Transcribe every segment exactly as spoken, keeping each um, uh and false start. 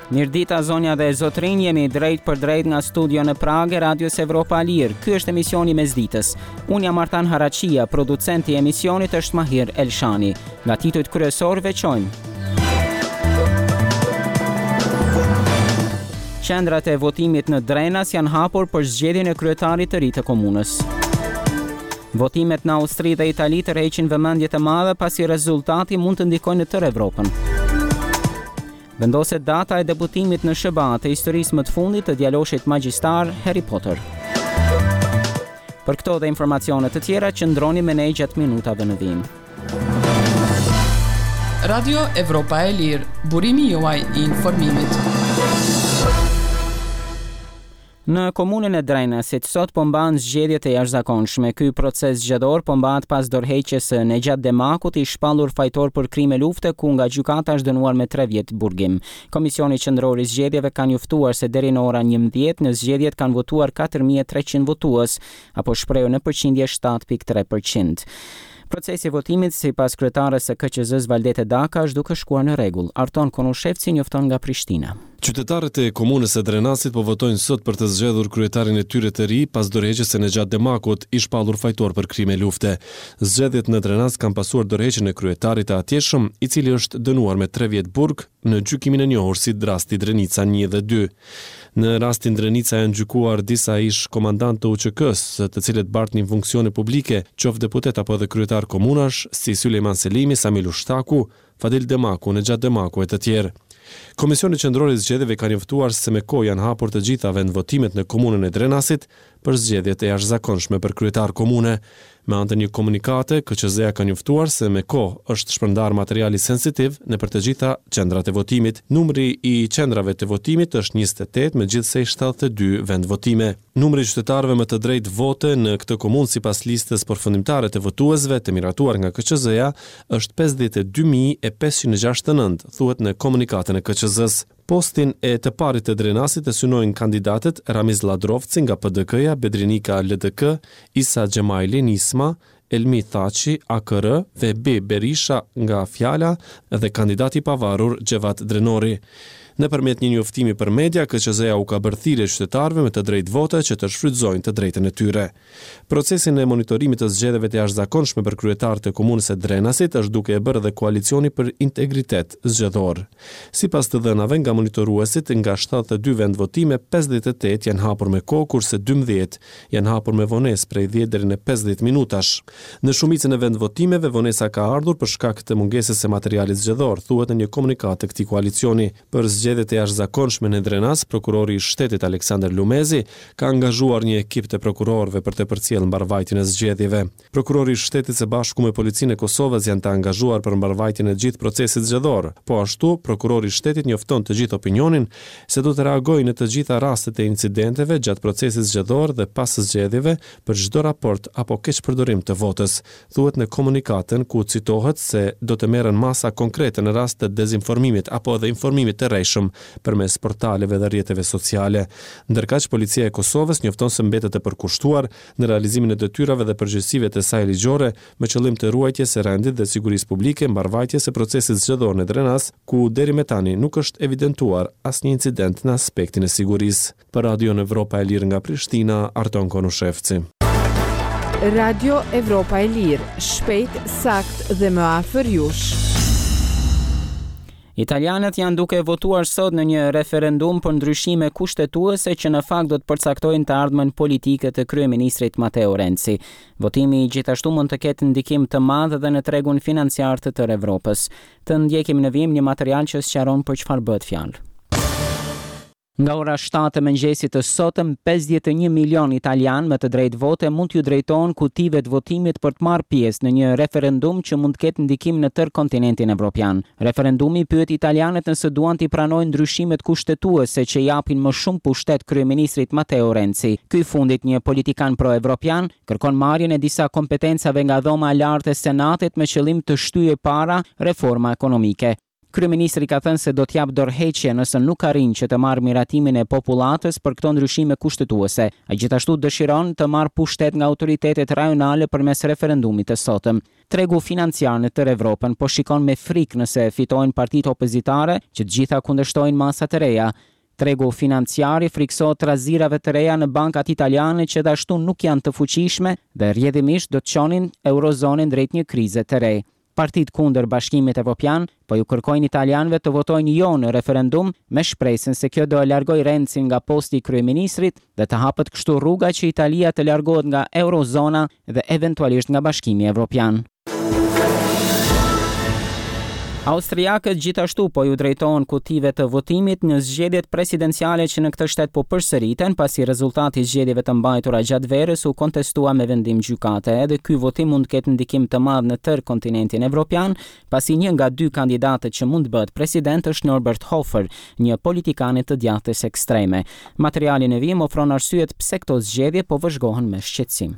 Mirëdita zonja dhe zotrinj, jemi drejt për drejt nga studio në Pragë e Radios Evropa e Lirë. Ky është emisioni Mesditës. Unë jam Artan Haraçia, producenti i emisionit është Mahir Elshani. Nga titujt kryesor veçojmë. Qendrat e votimit në Drenas janë hapur për zgjedhjen e kryetarit të ri të komunës. Votimet në Austri dhe Itali tërheqin vëmendje të madhe pasi rezultati mund të ndikojë në tërë Evropën. Vendoset data e debutimit në S H B A të historisë më të fundit të djaloshit magjistar Harry Potter. Për këto dhe informacione të tjera, qëndroni me ne gjatë minutave në vijim. Radio Evropa e Lirë, burimi juaj i informimit. Në komunën e Drenasit sot po mbahen zgjedhje të jashtëzakonshme. Ky proces zgjedhor po mbahet pas dorëheqjes së Nexhat Demakut, i shpallur fajtor për krime lufte, ku nga gjykata është dënuar me tre vjet burgim. Komisioni Qendror i Zgjedhjeve ka njoftuar se deri në ora njëmbëdhjetë në zgjedhjet kanë votuar katër mijë e treqind votues, apo shprehur në përqindje shtatë pikë tre përqind. Procesi i votimit, sipas kryetares së K Q Z-s Valdete Daka, është duke shkuar në rregull. Arton Konushevci njofton nga Prishtina. Qytetarët e komunës së Drenasit po votojnë sot për të zgjedhur kryetarin e tyre të ri pas dorëheqjes së Nexhat Demakut, i shpallur fajtor për krime lufte. Zgjedhjet në Drenas kanë pasuar dorëheqjen e kryetarit të atjeshëm, i cili është dënuar me tre vjet burg në gjykimin e njohur si rasti Drenica një dhe dy. Në rastin Drenica janë gjykuar disa ish komandantë të U Ç K-së, të cilët bartnin funksione publike, qoftë deputet apo edhe kryetar komunash, si Sulejman Selimi, Sami Lushtaku, Fadil Demaku, Nexhat Demaku e të tjerë. Komisioni Qendror i Zgjedhjeve ka njoftuar se me kohë janë hapur të gjitha vendvotimet në komunën e Drenasit për zgjedhjet e jashtëzakonshme për kryetar komune. Me anë të një komunikate, K Q Z-ja ka njoftuar se me kohë është shpërndar materiali sensitiv në për të gjitha qendrat e votimit. Numri i qendrave të votimit është njëzet e tetë me gjithsej shtatëdhjetë e dy vendvotime. Numri i qytetarëve me të drejtë vote në këtë komunë sipas listës përfundimtare të votuesve të miratuar nga K Q Z-ja është pesëdhjetë e dy mijë e pesëqind e gjashtëdhjetë e nëntë, thuhet në komunikatën e K Q Z-s. Postin e të parit të Drenasit e synojnë kandidatët Ramiz Lladrovci nga P D K-ja, Bedrinika L D K, Isa Xhemajli Nisma, Elmi Thaçi A K R, Vehbi Berisha nga Fjala dhe kandidati i pavarur Xhevat Drenori. Nëpërmjet një njoftimi për media, K Q Z-ja u ka bërë thirrje qytetarëve me të drejtë vote që të shfrytëzojnë të drejtën e tyre. Procesin e monitorimit të zgjedhjeve të jashtëzakonshme për kryetar të komunës së Drenasit është duke e bërë edhe Koalicioni për Integritet Zgjedhor. Sipas të dhënave nga monitoruesit, nga shtatëdhjetë e dy vendvotime, pesëdhjetë e tetë janë hapur me kohë, kurse dymbëdhjetë janë hapur me vonesë prej dhjetë deri në pesëdhjetë minutash. Në shumicën e vendvotimeve, vonesa ka ardhur për shkak të mungesës së materialit zgjedhor, thuhet në një komunikatë të këtij koalicioni. Për zgjedhjet e jashtëzakonshme në Drenas, prokurori i shtetit Aleksandr Lumezi ka angazhuar një ekip të prokurorëve për të përcjellë mbarvajtjen e zgjedhjeve. Prokurori i shtetit së bashku me policinë e Kosovës janë të angazhuar për mbarvajtjen e gjithë procesit zgjedhor. Po ashtu, prokurori i shtetit njofton të gjithë opinionin se do të reagojë në të gjitha rastet e incidenteve gjatë procesit zgjedhor dhe pas zgjedhjeve për çdo raport apo keqpërdorim të votës, thuhet në komunikatën ku citohet se do të merren masa konkrete në rast të dezinformimit apo edhe informimit të rrejshëm përmes portaleve dhe rrjeteve sociale. Ndërkaq, Policia e Kosovës njofton se mbetet e përkushtuar në realizimin e detyrave dhe përgjegjësive të saj ligjore me qëllim të ruajtjes së rendit dhe sigurisë publike, mbarvajtjes së procesit zgjedhor në Drenas, ku deri më tani nuk është evidentuar asnjë incident në aspektin e sigurisë. Për Radion Evropa e Lirë nga Prishtina, Arton Konushevci. Radio Evropa e Lirë, shpejt, sakt dhe më afër jush. Italianët janë duke votuar sot në një referendum për ndryshime kushtetuese që në fakt do të përcaktojnë të ardhmen politike të kryeministrit Matteo Renzi. Votimi gjithashtu mund të ketë ndikim të madh edhe në tregun financiar të tërë Evropës. Të ndjekim në vijim një material që sqaron për çfarë bëhet fjalë. Nga ora shtatë e mëngjesit të sotëm, pesëdhjetë e një milion italian me të drejtë vote mund t'ju drejtohen kutive të votimit për të marrë pjesë në një referendum që mund të ketë ndikim në tërë kontinentin evropian. Referendumi pyet italianët nëse duan t'i pranojnë ndryshimet kushtetuese që japin më shumë pushtet kryeministrit Matteo Renzi. Ky i fundit, një politikan pro-evropian, kërkon marrjen e disa kompetencave nga dhoma e lartë e Senatit me qëllim të shtyjë para reforma ekonomike. Kryeministri ka thënë se do të japë dorëheqje nëse nuk arrin që të marrë miratimin e popullatës për këto ndryshime kushtetuese. Ai gjithashtu dëshiron të marrë pushtet nga autoritetet rajonale përmes referendumit të sotëm. Tregu financiar në tërë Evropën po shikon me frikë nëse fitojnë partitë opozitare që të gjitha kundërshtojnë masat e reja. Tregu financiar i frikësohet trazirave të reja në bankat italiane që gjithashtu nuk janë të fuqishme dhe rrjedhimisht do të çonin eurozonën drejt një krize të re. Partitë kundër Bashkimit Evropian po ju kërkojnë italianëve të votojnë jo në referendum me shpresën se kjo do e largojë Renzin nga posti i kryeministrit dhe të hapet kështu rruga që Italia të largohet nga eurozona dhe eventualisht nga Bashkimi Evropian. Austriakët gjithashtu po ju drejtohen kutive të votimit në zgjedhjet presidenciale që në këtë shtet po përsëriten, pasi rezultati i zgjedhjeve të mbajtura gjatë verës u kontestua me vendim gjykate. Edhe ky votim mund të ketë ndikim të madh në tërë kontinentin evropian, pasi një nga dy kandidatët që mund të bëhet president është Norbert Hofer, një politikan i të djathtës ekstreme. Materiali në vijim ofron arsyet pse këto zgjedhje po vëzhgohen me shqetësim.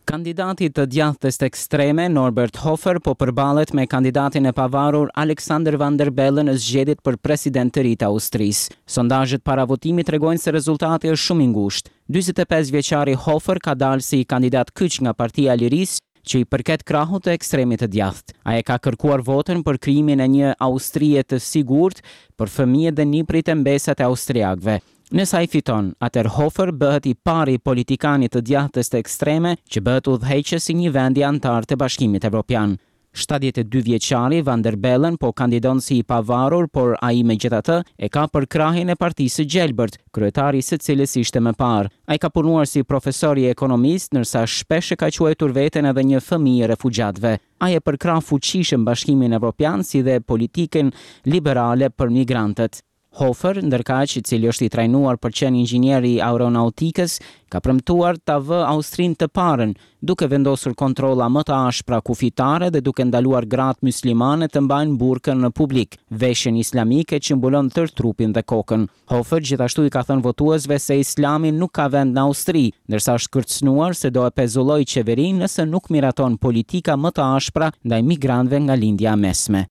Kandidati të djathtës ekstreme Norbert Hofer po përballet me kandidatin e pavarur Alexander Van der Bellen në zgjedhjet për president të ri të Austrisë. Sondazhet para votimit tregojnë se rezultati është shumë i ngushtë. dyzet e pesë vjeçari Hofer ka dalë si kandidat kyç nga Partia e Lirisë, që i përket krahut të ekstremit të djathtë. Ai e ka kërkuar votën për krijimin e një Austrie të sigurt për fëmijët dhe nipërit e mbesat e austriakëve. Nëse ai fiton, atëherë Hofer bëhet i pari politikani të djathtës të ekstreme që bëhet udhëheqës i një vendi anëtar të Bashkimit Evropian. shtatëdhjetë e dy vjeçari Van der Bellen po kandidon si i pavarur, por ai megjithatë e ka përkrahjen e Partisë së Gjelbërt, kryetari i së cilës ishte më parë. Ai ka punuar si profesor i ekonomisë, ndërsa shpesh e ka quajtur veten edhe një fëmijë i refugjatëve. Ai e përkrah fuqishëm Bashkimin Evropian si dhe politikën liberale për migrantët. Hofer, ndërkaq, i cili është i trajnuar për qenë inxhinier i aeronautikës, ka premtuar ta vë Austrinë të parën, duke vendosur kontrolla më të ashpra kufitare dhe duke ndaluar gratë muslimane të mbajnë burkën në publik, veshjen islamike që mbulon tërë trupin dhe kokën. Hofer gjithashtu i ka thënë votuesve se Islami nuk ka vend në Austri, ndërsa është kërcënuar se do e pezullojë qeverinë nëse nuk miraton politika më të ashpra ndaj migrantëve nga Lindja e Mesme.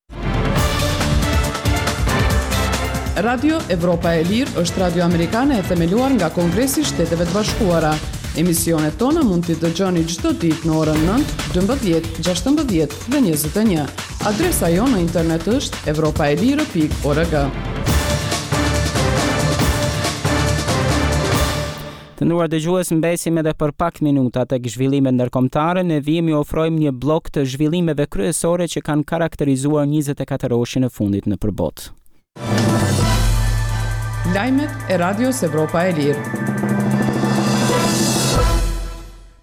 Radio Evropa e Lirë është radio amerikane e themeluar nga Kongresi i Shteteve të Bashkuara. Emisionet tona mund t'i dëgjoni çdo ditë në orën nëntë, dymbëdhjetë, gjashtëmbëdhjetë dhe njëzet e një. Adresa jonë në internet është evropaelire pikë org. Të nderuar dëgjues, mbesim edhe për pak minuta tek zhvillimet ndërkombëtare. Ne vijmë ju ofrojmë një blok të zhvillimeve kryesore që kanë karakterizuar njëzet e katër orëshin e fundit në përbotë. Lajmet e Radios Evropa e Lirë.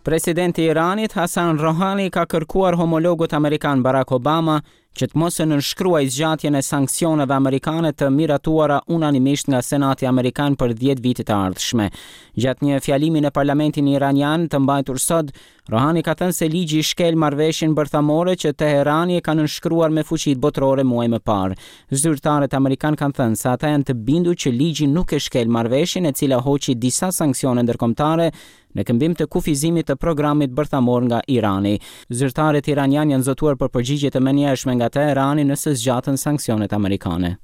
Presidenti i Iranit Hassan Rouhani ka kërkuar homologut amerikan Barack Obama që të mos e nënshkruajë zgjatjen e sanksioneve amerikane të miratuara unanimisht nga Senati Amerikan për dhjetë vitet e ardhshme. Gjatë një fjalimi në parlamentin iranian të mbajtur sot, Rouhani ka thënë se ligji shkel marrëveshjen bërthamore që Teherani e ka nënshkruar me fuqitë botërore muaj më parë. Zyrtarët amerikan kanë thënë se ata janë të bindur që ligji nuk e shkel marrëveshjen e cila hoqi disa sanksione ndërkombëtare në këmbim të kufizimit të programit bërthamor nga Irani. Zyrtarët iranian janë zotuar për përgjigje të menjëhershme nga Teherani nëse zgjaten sanksionet amerikane.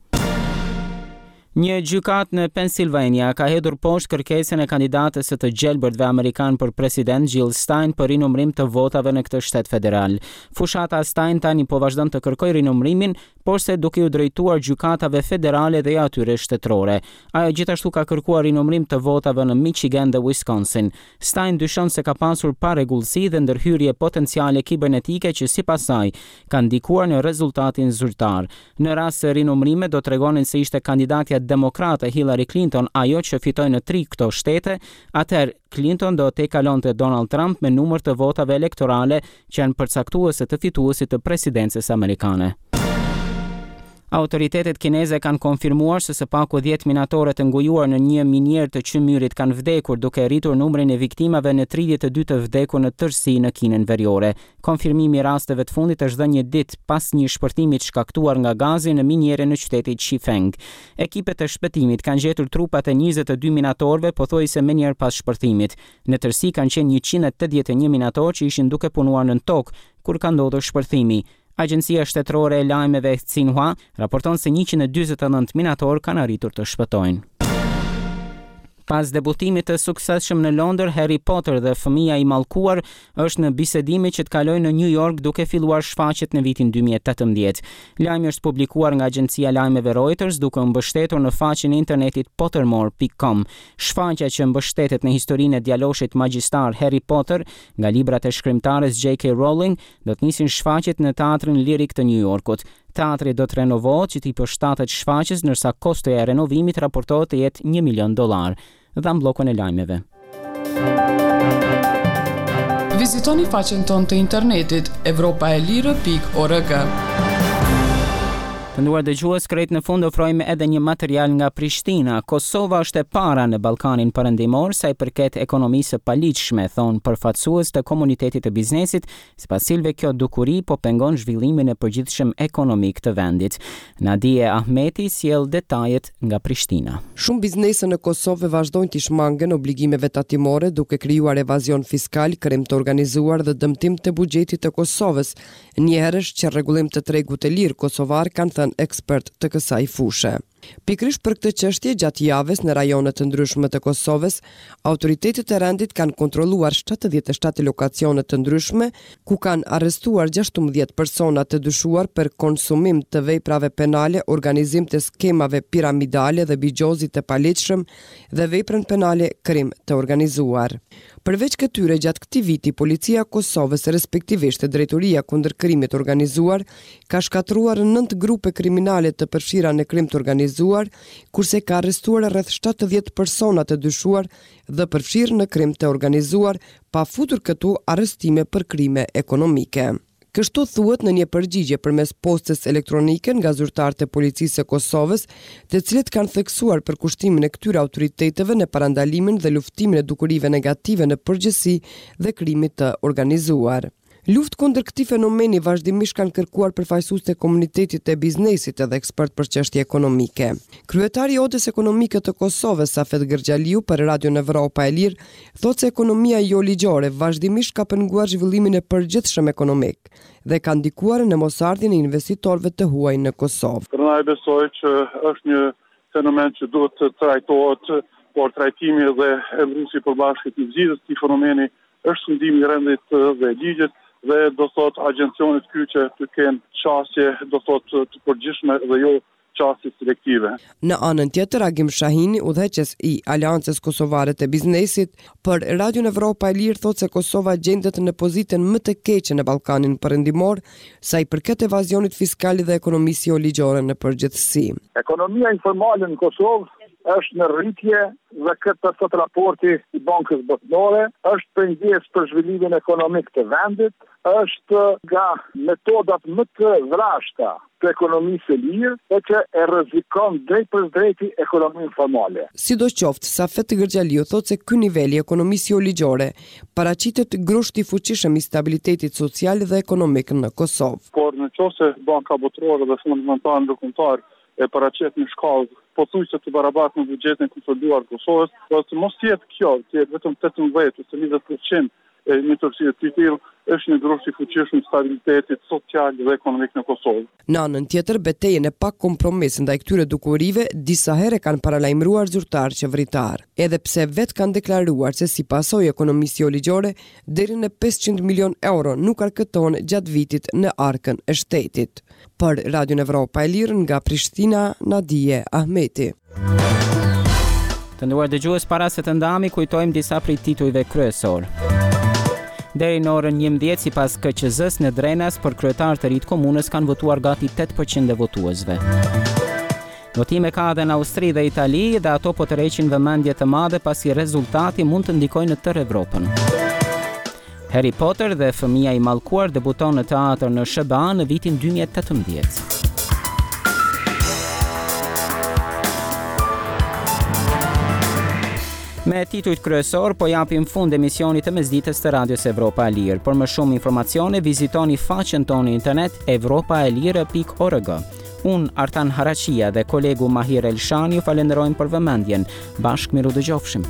Një gjykatë në Pennsylvania ka hedhur poshtë kërkesën e kandidatës së të gjelbërtve amerikan për president Jill Stein për rinumërim të votave në këtë shtet federal. Fushata Stein tani po vazhdon të kërkojë rinumërimin, porse duke ju drejtuar gjykatave federale dhe atyre shtetërore. Ajo gjithashtu ka kërkuar rinumërim të votave në Michigan dhe Wisconsin. Stein dyshon se ka pasur parregullsi dhe ndërhyrje potenciale kibernetike që sipas saj kanë ndikuar në rezultatin zyrtar. Në rast se rinumërimet do tregonin se ishte kandidatja demokrate Hillary Clinton ajo që fitoi në tri këto shtete, atëherë Clinton do të kalonte Donald Trump me numër të votave elektorale që janë përcaktuese të fituesit të presidencës amerikane. Autoritetet kineze kanë konfirmuar se së paku dhjetë minatorë të ngujuar në një minierë të qymyrit kanë vdekur, duke rritur numrin e viktimave në tridhjetë e dy të vdekur në tërësi në Kinën Veriore. Konfirmimi i rasteve të fundit është dhënë një ditë pas një shpërthimi të shkaktuar nga gazi në minierën në qytetin Chifeng. Ekipet e shpëtimit kanë gjetur trupat e njëzet e dy minatorëve pothuajse menjëherë pas shpërthimit. Në tërësi kanë qenë njëqind e tetëdhjetë e një minatorë që ishin duke punuar në tokë kur ka ndodhur shpërthimi. Agjencia Shtetërore e Lajmeve Xinhua raporton se njëqind e dyzet e nëntë minatorë kanë arritur të shpëtojnë. Pas debutimit të suksesshëm në Londër, Harry Potter dhe Fëmija i Mallkuar është në bisedime që të kalojë në New York duke filluar shfaqjet në vitin dy mijë e tetëmbëdhjetë. Lajmi është publikuar nga agjencia e lajmeve Reuters duke u mbështetur në faqen e internetit pottermore pikë com. Shfaqja që mbështetet në historinë e djaloshit magjistar Harry Potter nga librat e shkrimtares J K Rowling do të nisin shfaqjet në Teatrin Lirik të New Yorkut. Teatri do të renovohet që t'i përshtatet shfaqjes, ndërsa kostoja e renovimit raportohet të jetë një milion dollar. Dham bllokun e lajmeve. Vizitoni faqen tonë të internetit evropa e lirë pikë org. Të nderuar dëgjues, krejt në fund ofrojmë edhe një material nga Prishtina. Kosova është e para në Ballkanin Perëndimor sa i përket ekonomisë së paligjshme, thonë përfaqësues të komunitetit të biznesit, sipas cilëve kjo dukuri po pengon zhvillimin e përgjithshëm ekonomik të vendit. Nadie Ahmeti sjell detajet nga Prishtina. Shumë biznese në Kosovë vazhdojnë të shmangen obligimeve tatimore duke krijuar evazion fiskal, krim të organizuar dhe dëmtim të buxhetit të Kosovës. Njëherësh që rregullim të tregut të lirë kosovar kanë thënë ekspert të kësaj fushe. Pikërisht për këtë çështje gjatë javës në rajone të ndryshme të Kosovës, autoritetet e rendit kanë kontrolluar shtatëdhjetë e shtatë lokacione të ndryshme, ku kanë arrestuar gjashtëmbëdhjetë persona të dyshuar për konsumim të veprave penale, organizim të skemave piramidale dhe bixhozit të paligjshëm dhe veprën penale krim të organizuar. Përveç këtyre, gjatë këtij viti, Policia e Kosovës, respektivisht Drejtoria kundër Krimit Organizuar, ka shkatërruar nëntë grupe kriminale të përfshira në krim të organizuar, kurse ka arrestuar rreth shtatëdhjetë persona të dyshuar dhe përfshirë në krim të organizuar, pa futur këtu arrestime për krime ekonomike. Kështu thuhet në një përgjigje përmes postës elektronike nga zyrtarët e Policisë së Kosovës, të cilët kanë theksuar përkushtimin e këtyre autoriteteve në parandalimin dhe luftimin e dukurive negative në përgjithësi dhe krimit të organizuar. Luftë kundër këtij fenomeni vazhdimisht kanë kërkuar përfaqësues të komunitetit të biznesit edhe ekspert për çështje ekonomike. Kryetari i Odës Ekonomike të Kosovës, Safet Gërxhaliu, për Radion Evropa e Lirë, thotë se ekonomia jo ligjore vazhdimisht ka penguar zhvillimin e përgjithshëm ekonomik dhe ka ndikuar në mosardhjen e investitorëve të huaj në Kosovë. Prandaj besoj që është një fenomen që duhet të trajtohet, por trajtimi dhe emëruesi i përbashkët i zgjidhjes së këtij fenomeni është sundimi i rendit dhe ligjit dhe do thotë agjencionet kyçe të kenë qasje, do thotë të përgjithshme dhe jo qasje selektive. Në anën tjetër, Agim Shahini, udhëheqës i Aleancës Kosovare të Biznesit, për Radion Evropa e Lirë thotë se Kosova gjendet në pozitën më të keqe në Ballkanin Perëndimor sa i përket evazionit fiskal dhe ekonomisë jo ligjore në përgjithësi. Ekonomia informale në Kosovë është në rritje dhe këtë thotë raporti i Bankës Botërore, është pengesë për zhvillimin ekonomik të vendit, është nga metodat më të vrashta të ekonomisë së lirë e që e rrezikon drejtpërdrejti ekonominë formale. Sidoqoftë, Safet Gërxhaliu thotë se ky nivel i ekonomisë jo ligjore paraqitet grusht i fuqishëm i stabilitetit social dhe ekonomik në Kosovë. Por në qoftë se Banka Botërore dhe Fondi Monetar Ndërkombëtar e paraqet në shkallë pothuajse të barabartë me buxhetin e konsoliduar të Kosovës, do të mos jetë kjo, të jetë vetëm tetëmbëdhjetë ose njëzet përqind e një tërësie të tillë, është një grusht i fuqishëm stabilitetit social dhe ekonomik në Kosovë. Në anën tjetër, betejën e pa kompromis ndaj këtyre dukurive disa herë kanë paralajmëruar zyrtarë qeveritar, edhe pse vetë kanë deklaruar se si pasojë e ekonomisë jo ligjore deri në pesëqind milion euro nuk arkëtohen gjatë vitit në arkën e shtetit. Për Radion Evropa e Lirë nga Prishtina, Nadie Ahmeti. Të nderuar dëgjues, para se të ndahemi, kujtojmë disa prej titujve kryesor. Deri në orën njëmbëdhjetë, sipas K Q Z-s në Drenas, për kryetar të ri të komunës kanë votuar gati tetë përqind e votuesve. Votime ka edhe në Austri dhe Itali dhe ato po tërheqin vëmendje të madhe pasi rezultati mund të ndikojë në tërë Evropën. Harry Potter dhe Fëmija i Mallkuar debuton në teatr në S H B A në vitin dy mijë e tetëmbëdhjetë. Me titujt kryesor po japim fund emisionit të mesditës të Radios Evropa e Lirë. Për më shumë informacione vizitoni faqen tonë në internet evropa e lirë pikë org. Unë Artan Haraqia dhe kolegu Mahir Elshani ju falenderojmë për vëmendjen. Bashkë miru dëgjofshim.